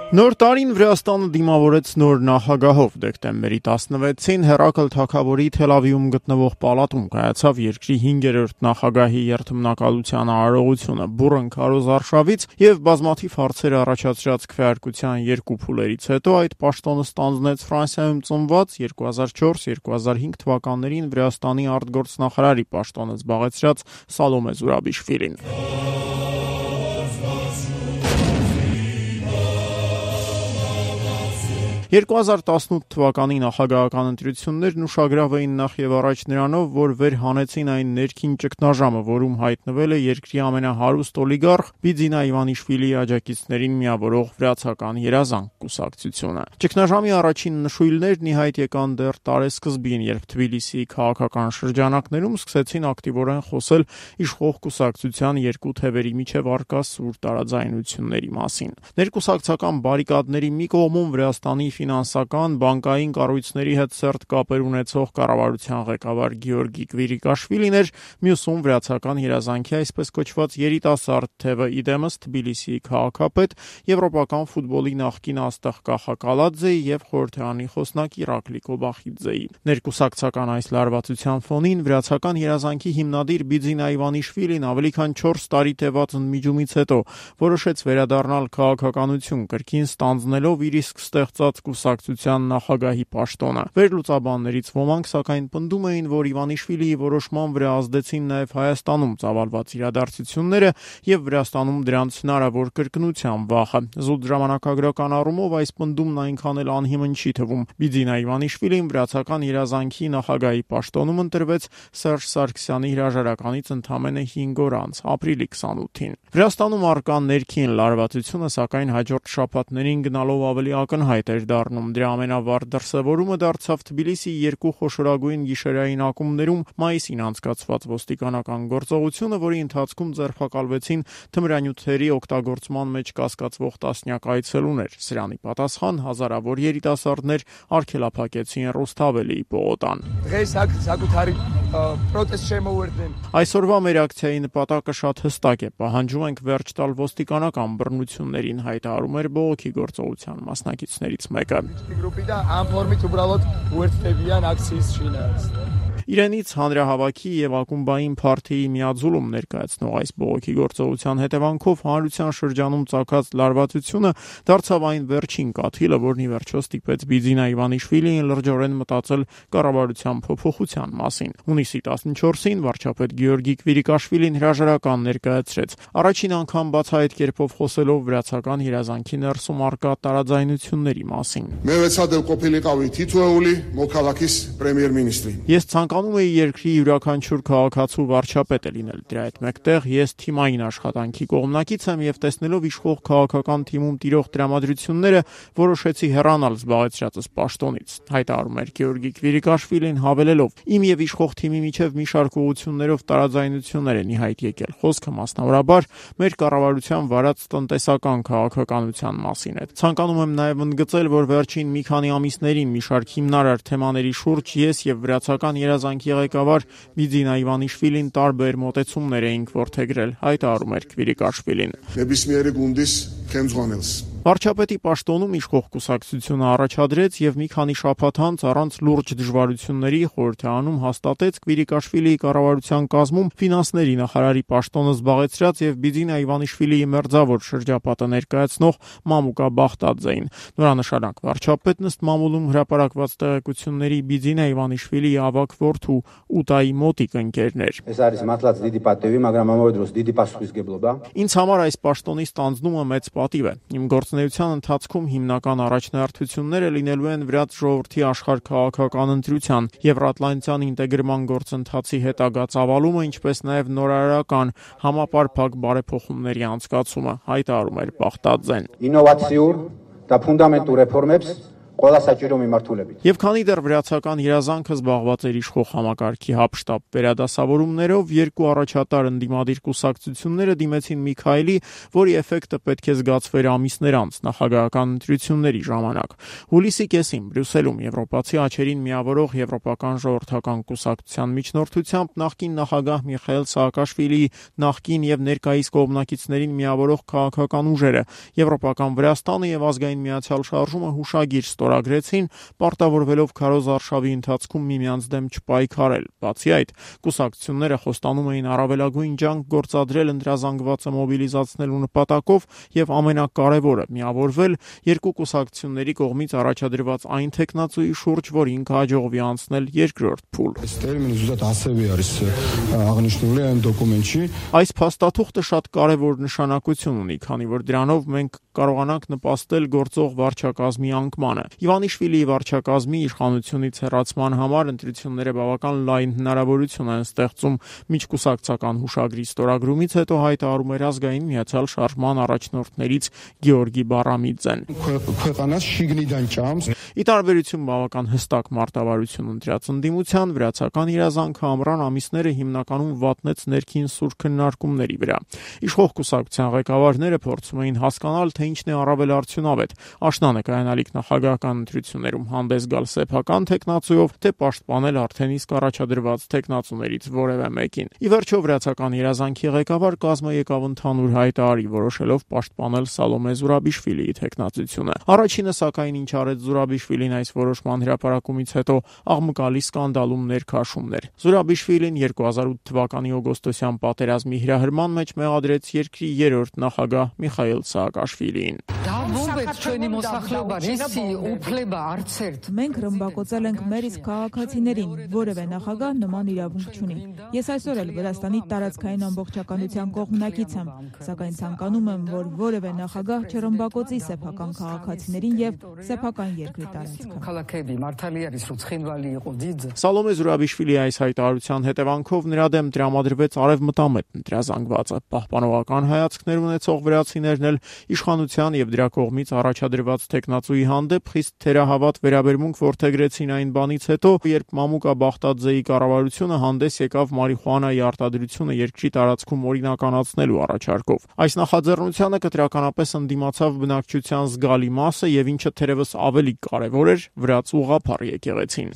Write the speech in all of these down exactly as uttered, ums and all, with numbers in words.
Նոր տարին Վրաստանը դիմավորեց նոր նախագահով։ Դեկտեմբերի տասնվեցին Հերակլ Թագավորի Թել Ավիվում գտնվող պալատում կայացավ երկրի հինգերորդ նախագահի երթմնակալության արարողությունը։ Բուռն քարոզարշավից եւ բազմաթիվ հարցեր առաջացրած քվեարկության երկու փուլերից հետո այդ պաշտոնը ստանձնեց Ֆրանսիայում ծնված երկու հազար չորս երկու հազար հինգ թվականներին Վրաստանի արտգործնախարարի պաշտոնը զբաղեցրած Սալոմե Զուրաբիշվիլին։ երկու հազար տասնութ թվականի նախագահական ընտրություններն ուշագրավ էին նախ եւ առաջ նրանով, որ վեր հանեցին այն ներքին ճգնաժամը, որում հայտնվել է երկրի ամենահարուստ օլիգարխ Բիձինա Իվանիշվիլիի աջակիցներին միավորող վրացական երազանք կուսակցությունը։ Ճգնաժամի առաջին նշույլներն ի հայտ եկան դեռ տարեսկզբին, երբ Թբիլիսիի քաղաքական շրջանակներում սկսեցին ակտիվորեն խոսել իշխող կուսակցության երկու թևերի միջև առկա սուր տարաձայնությունների մասին։ Ներկուսակցական բարիկադների մի կողմում Վրաստանի ֆինանսական, բանկային կառույցների հետ սերտ կապեր ունեցող կառավարության ղեկավար Գեորգի Կվիրիկաշվիլին էր, մյուսում վրացական երազանքի այսպես կոչված երիտասարդ թևը, իդեմս Թբիլիսիի քաղաքապետ, եվրոպական ֆուտբոլի նախկին աստղ Կախակալաձեի եւ խորհրդարանի խոսնակ Իրակլի Կոբախիձեի։ Ներկուսակցական այս լարվածության ֆոնին վրացական երազանքի հիմնադիր Բիձինա Իվանիշվիլին ավելի քան չորս տարի տևած ընդմիջումից հետո որոշեց վերադառնալ քաղաքականություն, կրկին ստանձնելով իր իսկ ստեղծած կուսակցության նախագահի պաշտոնը։ Վերլուծաբաններից ոմանք սակայն պնդում էին, որ Իվանիշվիլիի որոշման վրա ազդեցին նաև Հայաստանում ծավալված իրադարձությունները եւ Վրաստանում դրանց հնարավոր կրկնության վախը։ Զուտ ժամանակագրական առումով այս պնդումն այնքան էլ անհիմն չի թվում։ Բիձինա Իվանիշվիլին վրացական երազանքի նախագահի պաշտոնում ընտրվեց Սերժ Սարգսյանի հրաժարականից ընդամենը հինգ օր անց, ապրիլի քսանութին։ Վրաստանում առկա ներքին լարվածությունը սակայն հաջորդ շաբաթներին գնալով ավելի ակնհայտ էր դառնում։ Դրա ամենավառ դրսևորումը դարձավ Թբիլիսիի երկու խոշորագույն գիշերային ակումբներում մայիսին անցկացված ոստիկանական գործողությունը, որի ընթացքում ձերբակալվեցին թմրանյութերի օգտագործման մեջ կասկածվող տասնյակ այցելուներ։ Սրանի պատասխան հազարավոր երիտասարդներ արգելափակեցին Ռուսթավելիի պողոտան։ Այսօրվա մեր ակցիայի նպատակը շատ հստակ է։ Պահանջում ենք վերջ տալ ոստիկանական բռնություններին, հայտարարում էր բողոքի գործողության մասնակիցներից մեկը։ Իրենից հանրահավաքի եւ ակումբային փարթիի միաձուլում ներկայացնող այս բողոքի գործողության հետևանքով հանրության շրջանում ծագած լարվածությունը դարձավ այն վերջին կաթիլը, որն ի վերջո ստիպեց Բիձինա Իվանիշվիլիին լրջորեն մտածել կառավարության փոփոխության մասին։ Հունիսի տասնչորսին վարչապետ Գեորգի Կվիրիկաշվիլին հրաժարական ներկայացրեց, առաջին անգամ բացահայտ կերպով խոսելով վրացական երազանքի ներսում առկա տարաձայնությունների մասին։ Ես ցանկանում էի երկրի յուրաքանչյուր քաղաքացու վարչապետը լինել։ Դրա հետ մեկտեղ ես թիմային աշխատանքի կողմնակից եմ եւ տեսնելով իշխող քաղաքական թիմում տիրող տրամադրությունները որոշեցի հեռանալ զբաղեցրածս պաշտոնից, հայտարարում էր Գեորգի Կվիրիկաշվիլին, հավելելով. Իմ եւ իշխող թիմի միջև մի շարք ուղղություններով տարաձայնություններ են ի հայտ եկել։ Խոսքը մասնավորաբար մեր կառավարության վարած տնտեսական քաղաքականության մասին է։ Ցանկանում եմ նաեւ ընդգծել, որ վերջին մի քանի ամիսներին մի շարք հիմնարար թեմաների շուրջ ես եւ վրացական երազանքի ղեկավար Բիձինա Իվանիշվիլին տարբեր մոտեցումներ էինք որդեգրել, հայտարարում էր Կվիրիկաշվիլին։ Վարչապետի պաշտոնում իշխող կուսակցությունը առաջադրեց եւ մի քանի շաբաթ անց առանց լուրջ դժվարությունների խորհրդարանում հաստատեց Կվիրիկաշվիլիի կառավարության կազմում ֆինանսների նախարարի պաշտոնը զբաղեցրած եւ Բիձինա Իվանիշվիլիի մերձավոր շրջապատը ներկայացնող Մամուկա Բախտաձեին։ Նորանշանակ վարչապետն ըստ մամուլում հրապարակված տեղեկությունների Բիձինա Իվանիշվիլիի ավագ որդու Ուտայի մոտիկ ընկերներ։ Ինձ համար այս պաշտոնի ստանձնումը մեծ պատիվ է։ Իմ գործունեության ընթացքում հիմնական առաջնահերթությունները լինելու են վրաց ժողովրդի աշխարհ քաղաքական ընտրության, Եվրատլանտյան ինտեգրման գործընթացի հետագա ծավալումը, ինչպես նաև նորարարական համապարփակ բարեփոխումների անցկացումը, հայտարարում էր Բախտաձեն։ Եվ քանի դեռ վրացական երազանքը զբաղված էր իշխող համակարգի հապշտապ վերադասավորումներով, երկու առաջատար ընդդիմադիր կուսակցությունները դիմեցին Միքայելի, որի էֆեկտը պետք է զգացվեր ամիսներ անց նախագահական ընտրությունների ժամանակ։ Հուլիսի կեսին Բրյուսելում Եվրոպացի աչերին միավորող Եվրոպական ժողովրդական կուսակցության միջնորդությամբ նախկին նախագահ Միխայիլ Սաակաշվիլիի նախկին եւ ներկայիս կողմնակիցներին միավորող քաղաքական ուժերը Եվրոպական Վրաստանը եւ ազգային միացյալ շարժումը հուշագիր ստորագրեցին, պարտավորվելով քարոզ արշավի ընթացքում միմյանց դեմ չպայքարել։ Բացի այդ, կուսակցությունները խոստանում էին առավելագույն ջանք գործադրել ընտրազանգվածը մոբիլիզացնելու նպատակով եւ ամենակարևորը՝ միավորվել երկու կուսակցությունների կողմից առաջադրված այն տեխնացուի շուրջ, որին կհաջողվի անցնել երկրորդ փուլ։ Այս փաստաթուղթը շատ կարևոր նշանակություն ունի, քանի որ դրանով մենք կարողանանք նպաստել գործող վարչակազմի անկմանը։ Իվանիշվիլիի վարչակազմի իշխանությունից հեռացման համար ընտրությունները բավական լայն հնարավորություն են ստեղծում միջկուսակցական հուշագրի ստորագրումից հետո հայտարարում էր ազգային միացյալ շարժման առաջնորդներից Գեորգի Բարամիձեն։ Ի տարբերություն բավական հստակ մարտավարություն ընտրած ընդդիմության, վրացական երազանքը ամռան ամիսները հիմնականում վատնեց ներքին սուր քննարկումների վրա։ Իշխող կուսակցության ղեկավարները փորձում էին հասկանալ, թե ինչն է առավել արդյունավետ՝ աշնանը կայանալիք նախագահական ընտրություններում հանդես գալ սեփական տեխնացուով, թե պաշտպանել արդեն իսկ առաջադրված տեխնացուներից որևէ մեկին։ Ի վերջո վրացական երազանքի ղեկավար կազմը եկավ ընդհանուր հայտարարի, որոշելով պաշտպանել Սալոմե Զուրաբիշվիլիի տեխնացությունը։ Առաջինը, սակայն, ինչ արեց Զուրաբիշվիլին այս որոշման հրապարակումից հետո, աղմկալի սկանդալում ներքաշումն էր։ Զուրաբիշվիլին երկու հազար ութ թվականի օգոստոսյան պատերազմի հրահրման մեջ մեղադրեց երկրի երրորդ նախագահ Միխայիլ Սաակաշվիլիին։ Մենք ռմբակոծել ենք մեր իսկ քաղաքացիներին, որևէ նախագահ նման իրավունք չունի։ Ես այսօր էլ Վրաստանի տարածքային ամբողջականության կողմնակից եմ, սակայն ցանկանում եմ, որ որևէ նախագահ չռմբակոծի սեփական քաղաքացիներին եւ սեփական երկրի տարածքը։ Սալոմե Զուրաբիշվիլիի այս հայտարարության հետևանքով նրա դեմ տրամադրվեց արևմտամետ ընտրազանգվածը։ Պահպանողական հայացքներ ունեցող վրացիներն էլ իշխանության եւ դրա կողմից առաջադրված տեխնացուի հանդեպ խիստ թերահավատ վերաբերմունք որդեգրեցին այն բանից հետո, երբ Մամուկա Բախտաձեի կառավարությունը հանդես եկավ մարիխուանայի արտադրությունը երկրի տարածքում օրինականացնելու առաջարկով։ Այս նախաձեռնությանը կտրականապես ընդդիմացավ բնակչության զգալի մասը եւ ինչը թերևս ավելի կարևոր էր, վրաց ուղղափառ եկեղեցին։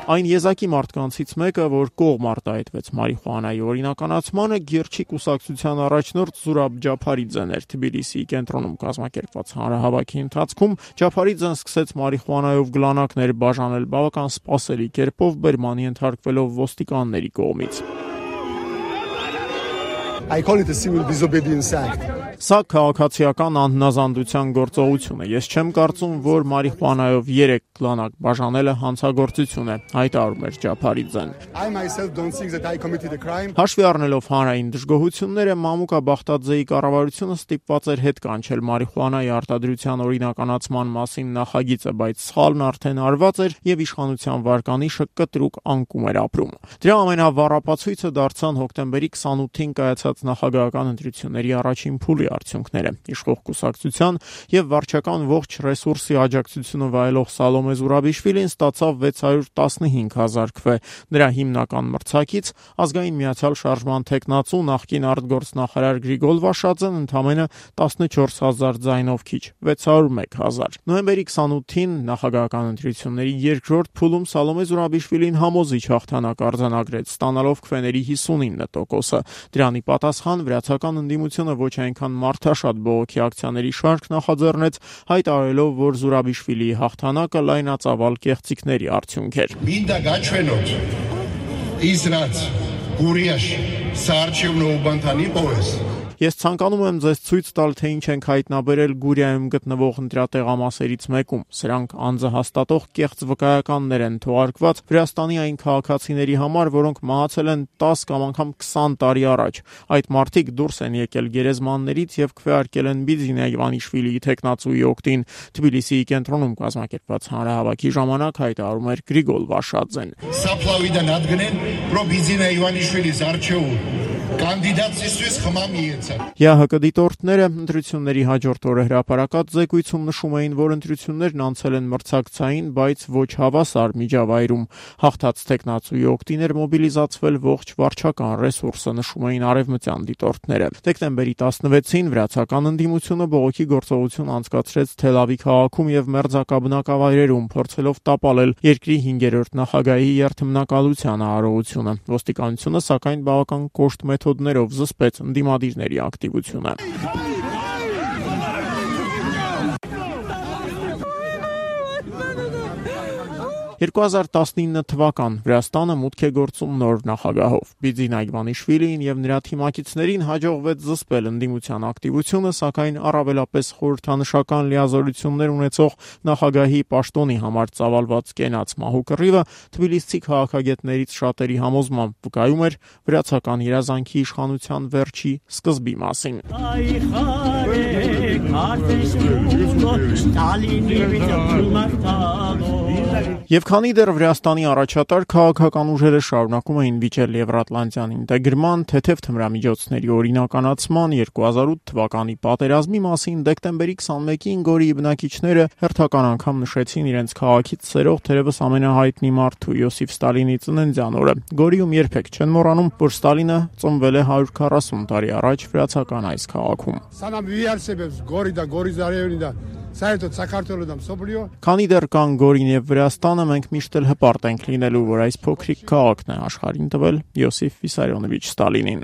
Այն եզակի մարդկանցից մեկը, որ կողմ արտահայտվեց մարիխուանայի օրինականացմանը, Գերչի կուսակցության առաջնորդ Զուրաբ Ջափարիձեն էր։ Թբիլիսիի կենտրոնում կազմակերպված հանրահավաքի ընթացքում Ջափարիձեն սկսեց մարիխուանայով գլանակներ բաժանել բավական սպասելի կերպով, բերմանի ենթարկվելով ոստիկանների կողմից։ I call it a civil disobedience act. Սա քաղաքացիական անհնազանդության գործողություն է։ Ես չեմ կարծում, որ մարիխուանայով երեք գլանակ բաժանելը հանցագործություն է, հայտարարում էր Ջափարիձեն։ I myself don't think that I committed a crime. Հաշվի առնելով հանրային դժգոհությունները, Մամուկա Բախտաձեի կառավարությունը ստիպված էր հետ կանչել մարիխուանայի արտադրության օրինականացման մասին նախագիծը, բայց սխալն արդեն արված էր եւ իշխանության վարկանիշը կտրուկ անկում էր ապրում։ Դրա ամենավառապացույցը դարձան հոկտեմբերի քսանութին կայացած նախագահական ընտրությունների առաջին փուլի արդյունքները։ Իշխող կուսակցության եւ վարչական ողջ ռեսուրսի աջակցությունը վայելող Սալոմե Զուրաբիշվիլին ստացավ վեց հարյուր տասնհինգ հազար քվե։ Նրա հիմնական մրցակից ազգային միացյալ շարժման տեխնացու նախկին արտգործնախարար Գրիգոլ Վաշաձեն ընդամենը տասնչորս հազար ձայնով քիչ, վեց հարյուր մեկ հազար։ Նոյեմբերի քսանութին նախագահական ընտրությունների երկրորդ փուլում Սալոմե Զուրաբիշվիլին համոզիչ հաղթանակ արձանագրեց, ստանալով քվեների հիսունինը տոկոսը։ Դրանի պատասխան վրացական ընդդիմությունը ոչ այնքան մարդաշատ բողոքի ակցիաների շարք նախաձեռնեց, հայտարարելով, որ Զուրաբիշվիլիի հաղթանակը լայնածավալ կեղծիքների արդյունք էր։ Minda gaչվենոց Իսրած Գուրիաշ Սարչևնո Ուբանտանի պոես Ես ցանկանում եմ ձեզ ցույց տալ, թե ինչ ենք հայտնաբերել Գուրիայում գտնվող ընտրատեղամասերից մեկում։ Սրանք անձահաստատող կեղծ վկայականներ են թողարկված Վրաստանի այն քաղաքացիների համար, որոնք մահացել են տասը կամ անգամ քսան տարի առաջ։ Այդ մարդիկ դուրս են եկել գերեզմաններից եւ քվեարկել են Բիձինա Իվանիշվիլիի տեխնացուի օգտին։ Թբիլիսիի կենտրոնում կազմակերպված հանրահավաքի ժամանակ հայտարարում էր Գրիգոլ Վաշաձեն։ Սապլավիդան ադգնեն պրո Բիձինա Իվանիշվիլիս արչեու կանդիդատისთვის խմամ իեցան։ ԵԱՀԿ դիտորդները ընտրությունների հաջորդ օրը հրապարակած զեկույցում նշում էին, որ ընտրություններն անցել են մրցակցային, բայց ոչ հավասար միջավայրում։ Հաղթած տեխնացուի օգտին էր մոբիլիզացվել ողջ վարչական ռեսուրսը, նշում էին արևմտյան դիտորդները։ Դեկտեմբերի տասնվեցին վրացական ընդդիմությունը բողոքի գործողություն անցկացրեց Թել Ավիվ քաղաքում եւ մերձակա բնակավայրերում, փորձելով տապալել երկրի հինգերորդ նախագահի երթմնակալության արարողությունը։ Ոստիկանությունը սակայն բավական կոշտ մեթոդներով զսպեց ընդդիմադիրների ակտիվությունը։ երկու հազար տասնինը թվական Վրաստանը մուտք է գործում նոր նախագահով։ Բիձինա Իվանիշվիլիին եւ նրա թիմակիցներին հաջողվեց զսպել ընդդիմության ակտիվությունը, սակայն առավելապես խորհրդանշական լիազորություններ ունեցող նախագահի պաշտոնի համար ծավալված կենաց մահու կռիվը թբիլիսցի քաղաքագետներից շատերի համոզմամբ վկայում էր վրացական երազանքի իշխանության վերջի սկզբի մասին։ Եվ քանի դեռ Վրաստանի առաջատար քաղաքական ուժերը շարունակում էին վիճել Եվրատլանտյան ինտեգրման, թեթև թմրամիջոցների օրինականացման, երկու հազար ութ թվականի պատերազմի մասին դեկտեմբերի քսանմեկին Գորիի բնակիչները հերթական անգամ նշեցին իրենց քաղաքից սերող թերևս ամենահայտնի մարդու Յոսիֆ Ստալինի ծննդյան օրը։ Գորիում երբեք չեն մոռանում, որ Ստալինը ծնվել է հարյուր քառասուն տարի առաջ վրացական այս քաղաքում։ Քանի դեռ կան Գորին եւ Վրաստանը, մենք միշտ էլ հպարտ ենք լինելու, որ այս փոքրիկ քաղաքն է աշխարհին տվել Յոսիֆ Վիսարիոնովիչ Ստալինին։